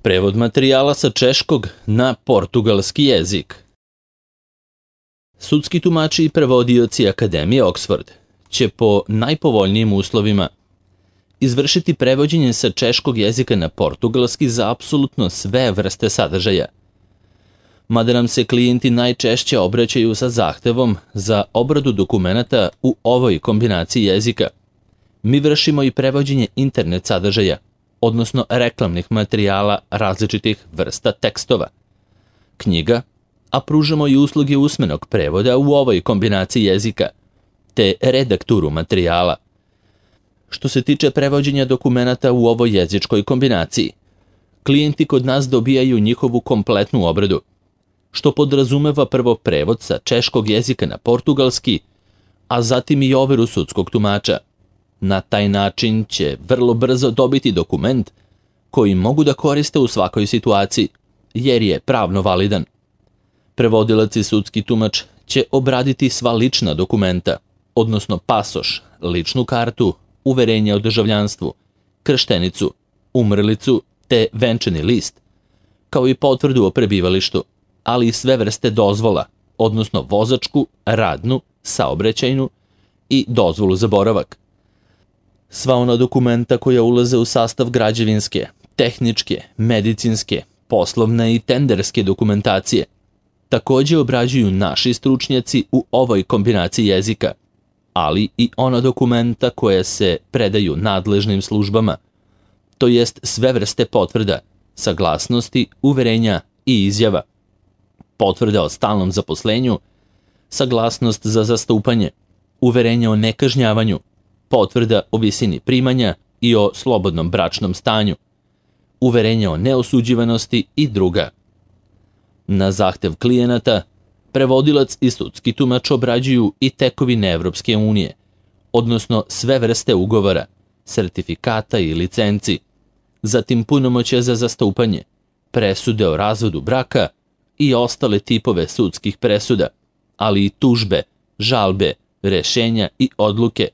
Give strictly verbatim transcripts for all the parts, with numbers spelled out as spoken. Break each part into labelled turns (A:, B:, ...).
A: Prevod materijala sa češkog na portugalski jezik. Sudski tumači i prevodioci Akademije Oxford će po najpovoljnijim uslovima izvršiti prevođenje sa češkog jezika na portugalski za apsolutno sve vrste sadržaja. Mada nam se klijenti najčešće obraćaju sa zahtevom za obradu dokumenata u ovoj kombinaciji jezika, mi vršimo i prevođenje internet sadržaja, odnosno reklamnih materijala različitih vrsta tekstova, knjiga, a pružamo i usluge usmenog prevoda u ovoj kombinaciji jezika, te redakturu materijala. Što se tiče prevođenja dokumenata u ovoj jezičkoj kombinaciji, klijenti kod nas dobijaju njihovu kompletnu obradu, što podrazumeva prvo prevod sa češkog jezika na portugalski, a zatim i overu sudskog tumača. Na taj način će vrlo brzo dobiti dokument koji mogu da koriste u svakoj situaciji, jer je pravno validan. Prevodilac i sudski tumač će obraditi sva lična dokumenta, odnosno pasoš, ličnu kartu, uverenje o državljanstvu, krštenicu, umrlicu te venčani list, kao i potvrdu o prebivalištu, ali i sve vrste dozvola, odnosno vozačku, radnu, saobraćajnu i dozvolu za boravak. Sva ona dokumenta koja ulaze u sastav građevinske, tehničke, medicinske, poslovne i tenderske dokumentacije takođe obrađuju naši stručnjaci u ovoj kombinaciji jezika, ali i ona dokumenta koja se predaju nadležnim službama, to jest sve vrste potvrda, saglasnosti, uverenja i izjava, potvrda o stalnom zaposlenju, saglasnost za zastupanje, uverenje o nekažnjavanju, potvrda o visini primanja i o slobodnom bračnom stanju, uverenje o neosuđivanosti i druga. Na zahtev klijenata, prevodilac i sudski tumač obrađuju i tekovine Evropske unije, odnosno sve vrste ugovora, sertifikata i licenci, zatim punomoćja za zastupanje, presude o razvodu braka i ostale tipove sudskih presuda, ali i tužbe, žalbe, rešenja i odluke,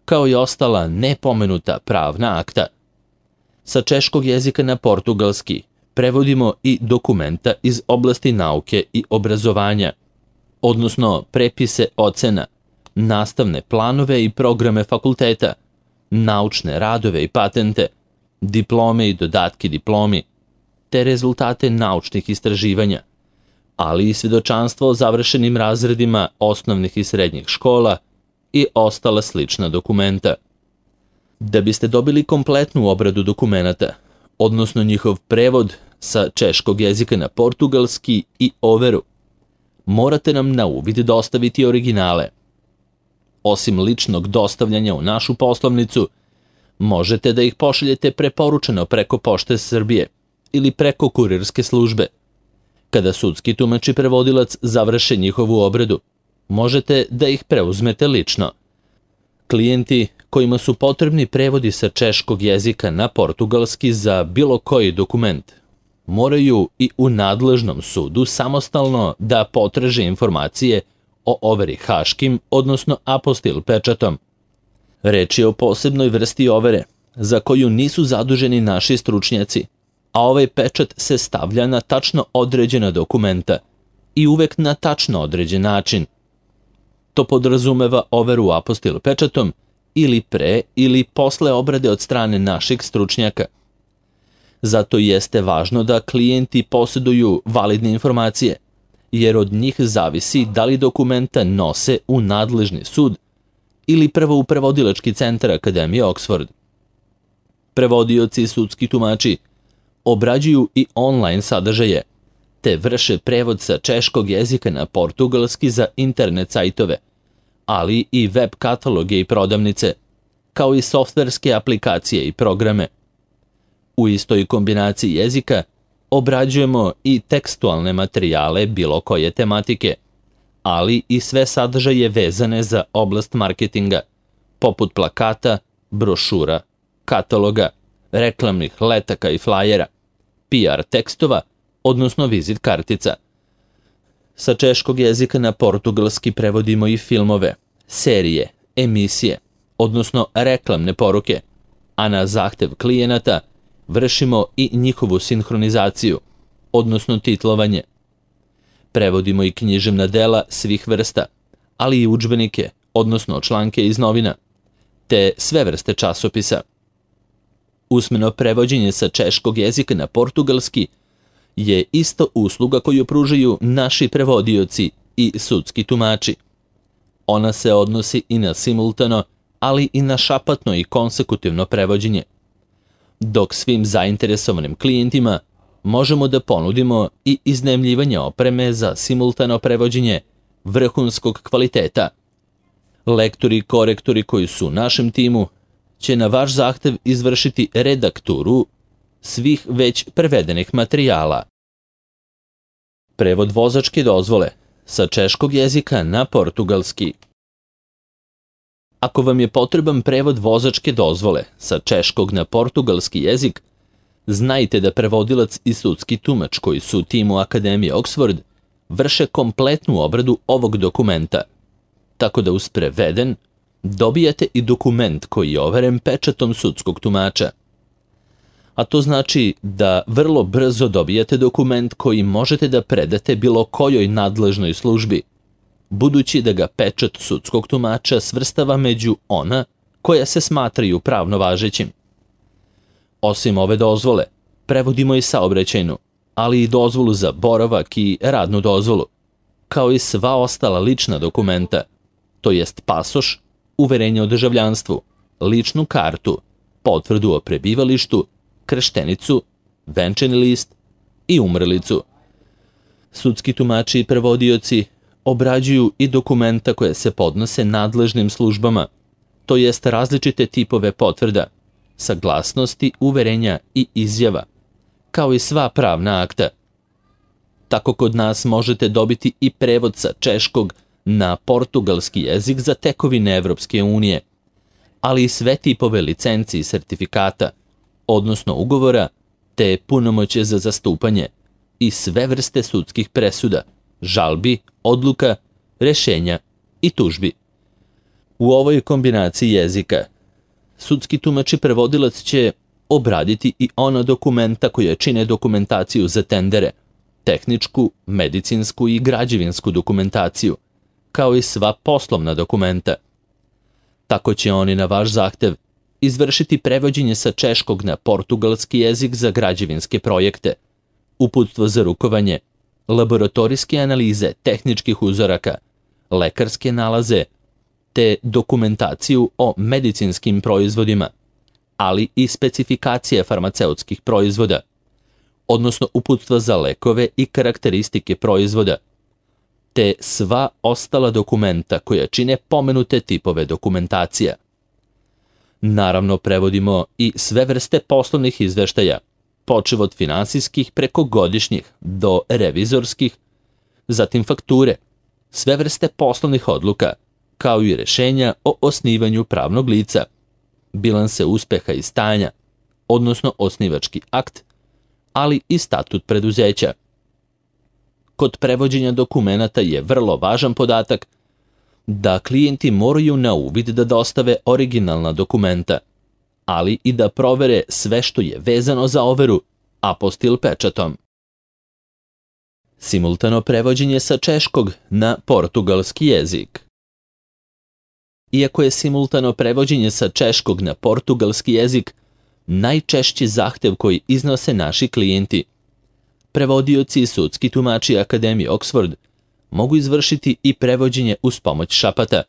A: kao i ostala nepomenuta pravna akta. Sa češkog jezika na portugalski prevodimo i dokumenta iz oblasti nauke i obrazovanja, odnosno prepise ocena, nastavne planove i programe fakulteta, naučne radove i patente, diplome i dodatke diplomi, te rezultate naučnih istraživanja, ali i svedočanstvo o završenim razredima osnovnih i srednjih škola i ostala slična dokumenta. Da biste dobili kompletnu obradu dokumenata, odnosno njihov prevod sa češkog jezika na portugalski i overu, morate nam na uvid dostaviti originale. Osim ličnog dostavljanja u našu poslovnicu, možete da ih pošaljete preporučeno preko Pošte Srbije ili preko kurirske službe. Kada sudski tumač i prevodilac završe njihovu obradu, možete da ih preuzmete lično. Klijenti kojima su potrebni prevodi sa češkog jezika na portugalski za bilo koji dokument, moraju i u nadležnom sudu samostalno da potraže informacije o overi haškim, odnosno apostil pečatom. Reč je o posebnoj vrsti overe, za koju nisu zaduženi naši stručnjaci, a ovaj pečat se stavlja na tačno određena dokumenta i uvek na tačno određen način. To podrazumeva overu apostil pečatom ili pre ili posle obrade od strane naših stručnjaka. Zato jeste važno da klijenti posjeduju validne informacije, jer od njih zavisi da li dokumenta nose u nadležni sud ili prvo u prevodilački centar Akademije Oxford. Prevodioci i sudski tumači obrađuju i online sadržaje, te vrše prevod sa češkog jezika na portugalski za internet sajtove, ali i web kataloge i prodavnice, kao i softverske aplikacije i programe. U istoj kombinaciji jezika obrađujemo i tekstualne materijale bilo koje tematike, ali i sve sadržaje vezane za oblast marketinga, poput plakata, brošura, kataloga, reklamnih letaka i flajera, P R tekstova, odnosno vizit kartica. Sa češkog jezika na portugalski prevodimo i filmove, serije, emisije, odnosno reklamne poruke, a na zahtev klijenata vršimo i njihovu sinhronizaciju, odnosno titlovanje. Prevodimo i književna dela svih vrsta, ali i udžbenike, odnosno članke iz novina, te sve vrste časopisa. Usmeno prevođenje sa češkog jezika na portugalski je isto usluga koju pružaju naši prevodioci i sudski tumači. Ona se odnosi i na simultano, ali i na šapatno i konsekutivno prevođenje. Dok svim zainteresovanim klijentima možemo da ponudimo i iznajmljivanje opreme za simultano prevođenje vrhunskog kvaliteta. Lektori i korektori koji su u našem timu će na vaš zahtev izvršiti redakturu svih već prevedenih materijala. Prevod vozačke dozvole sa češkog jezika na portugalski. Ako vam je potreban prevod vozačke dozvole sa češkog na portugalski jezik, znajte da prevodilac i sudski tumač koji su u timu Akademije Oxford vrše kompletnu obradu ovog dokumenta, tako da uz preveden dobijate i dokument koji je overen pečatom sudskog tumača. A to znači da vrlo brzo dobijate dokument koji možete da predate bilo kojoj nadležnoj službi, budući da ga pečat sudskog tumača svrstava među ona koja se smatraju pravno važećim. Osim ove dozvole, prevodimo i saobraćajnu, ali i dozvolu za boravak i radnu dozvolu, kao i sva ostala lična dokumenta, to jest pasoš, uverenje o državljanstvu, ličnu kartu, potvrdu o prebivalištu, krštenicu, venčani list i umrlicu. Sudski tumači i prevodioci obrađuju i dokumenta koje se podnose nadležnim službama, to jest različite tipove potvrda, saglasnosti, uverenja i izjava, kao i sva pravna akta. Tako kod nas možete dobiti i prevod sa češkog na portugalski jezik za tekovine Evropske unije, ali i sve tipove licenci i sertifikata, odnosno ugovora, te punomoćje za zastupanje i sve vrste sudskih presuda, žalbi, odluka, rešenja i tužbi. U ovoj kombinaciji jezika sudski tumač i prevodilac će obraditi i ona dokumenta koja čine dokumentaciju za tendere, tehničku, medicinsku i građevinsku dokumentaciju, kao i sva poslovna dokumenta. Tako će oni na vaš zahtev izvršiti prevođenje sa češkog na portugalski jezik za građevinske projekte, uputstvo za rukovanje, laboratorijske analize tehničkih uzoraka, lekarske nalaze, te dokumentaciju o medicinskim proizvodima, ali i specifikacije farmaceutskih proizvoda, odnosno uputstva za lekove i karakteristike proizvoda, te sva ostala dokumenta koja čine pomenute tipove dokumentacija. Naravno, prevodimo i sve vrste poslovnih izveštaja, počev od finansijskih preko godišnjih do revizorskih, zatim fakture, sve vrste poslovnih odluka, kao i rešenja o osnivanju pravnog lica, bilanse uspeha i stanja, odnosno osnivački akt, ali i statut preduzeća. Kod prevođenja dokumenata je vrlo važan podatak da klijenti moraju na uvid da dostave originalna dokumenta, ali i da provere sve što je vezano za overu apostil pečatom. Simultano prevođenje sa češkog na portugalski jezik. Iako je simultano prevođenje sa češkog na portugalski jezik najčešći zahtev koji iznose naši klijenti, prevodioci i sudski tumači Akademije Oxford mogu izvršiti i prevođenje uz pomoć šapata,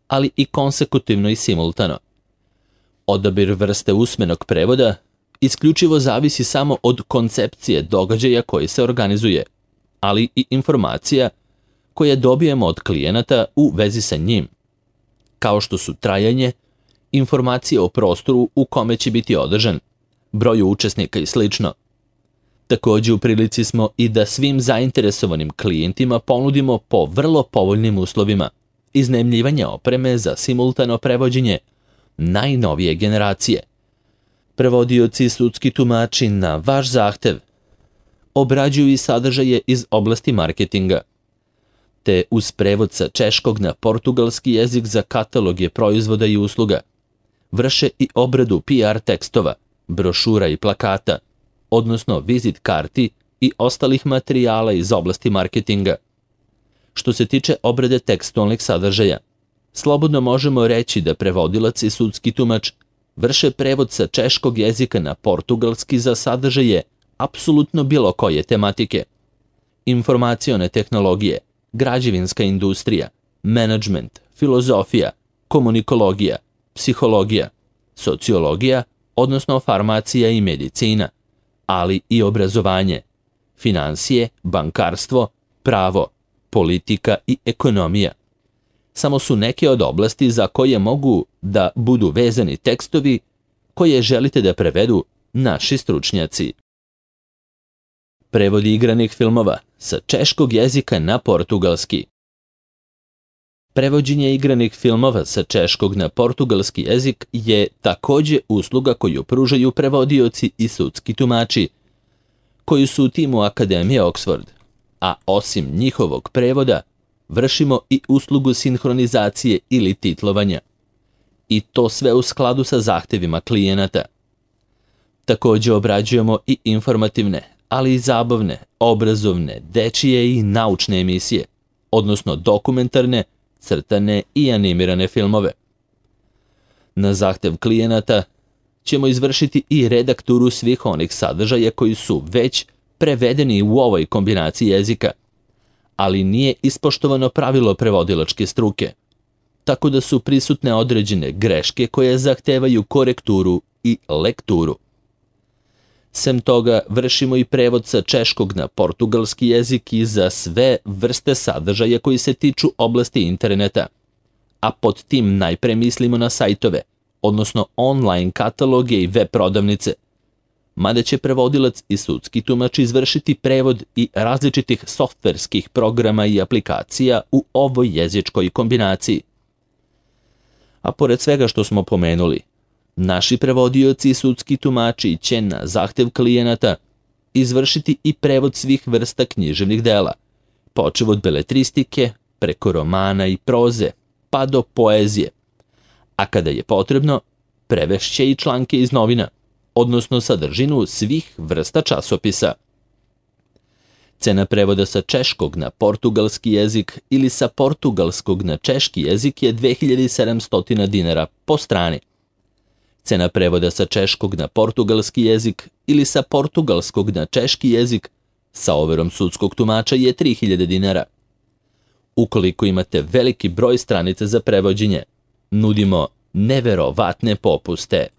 A: ali i konsekutivno i simultano. Odabir vrste usmenog prevoda isključivo zavisi samo od koncepcije događaja koji se organizuje, ali i informacija koje dobijemo od klijenata u vezi sa njim, kao što su trajanje, informacije o prostoru u kome će biti održan, broju učesnika i sl. Također u prilici smo i da svim zainteresovanim klijentima ponudimo po vrlo povoljnim uslovima iznajmljivanje opreme za simultano prevođenje najnovije generacije. Prevodioci i sudski tumači na vaš zahtev obrađuju i sadržaje iz oblasti marketinga, te uz prevod sa češkog na portugalski jezik za kataloge proizvoda i usluga vrše i obradu P R tekstova, brošura i plakata, odnosno vizit karti i ostalih materijala iz oblasti marketinga. Što se tiče obrade tekstualnih sadržaja, slobodno možemo reći da prevodilac i sudski tumač vrše prevod sa češkog jezika na portugalski za sadržaje apsolutno bilo koje tematike. Informacione tehnologije, građevinska industrija, menadžment, filozofija, komunikologija, psihologija, sociologija, odnosno farmacija i medicina, ali i obrazovanje, finansije, bankarstvo, pravo, politika i ekonomija. Samo su neke od oblasti za koje mogu da budu vezani tekstovi koje želite da prevedu naši stručnjaci. Prevodi igranih filmova sa češkog jezika na portugalski. Prevođenje igranih filmova sa češkog na portugalski jezik je takođe usluga koju pružaju prevodioci i sudski tumači, koji su u timu Akademije Oxford, a osim njihovog prevoda, vršimo i uslugu sinhronizacije ili titlovanja. I to sve u skladu sa zahtevima klijenata. Takođe obrađujemo i informativne, ali i zabavne, obrazovne, dečije i naučne emisije, odnosno dokumentarne, crtane i animirane filmove. Na zahtev klijenata ćemo izvršiti i redakturu svih onih sadržaja koji su već prevedeni u ovoj kombinaciji jezika, ali nije ispoštovano pravilo prevodilačke struke, tako da su prisutne određene greške koje zahtevaju korekturu i lekturu. Sem toga, vršimo i prevod sa češkog na portugalski jezik i za sve vrste sadržaja koji se tiču oblasti interneta, a pod tim najpre mislimo na sajtove, odnosno online kataloge i web prodavnice, mada će prevodilac i sudski tumač izvršiti prevod i različitih softverskih programa i aplikacija u ovoj jezičkoj kombinaciji. A pored svega što smo pomenuli, naši prevodioci i sudski tumači će na zahtev klijenata izvršiti i prevod svih vrsta književnih dela, počev od beletristike, preko romana i proze, pa do poezije, a kada je potrebno, prevešće i članke iz novina, odnosno sadržinu svih vrsta časopisa. Cena prevoda sa češkog na portugalski jezik ili sa portugalskog na češki jezik je dve hiljade sedamsto dinara po strani. Cena prevoda sa češkog na portugalski jezik ili sa portugalskog na češki jezik sa overom sudskog tumača je tri hiljade dinara. Ukoliko imate veliki broj stranica za prevođenje, nudimo neverovatne popuste.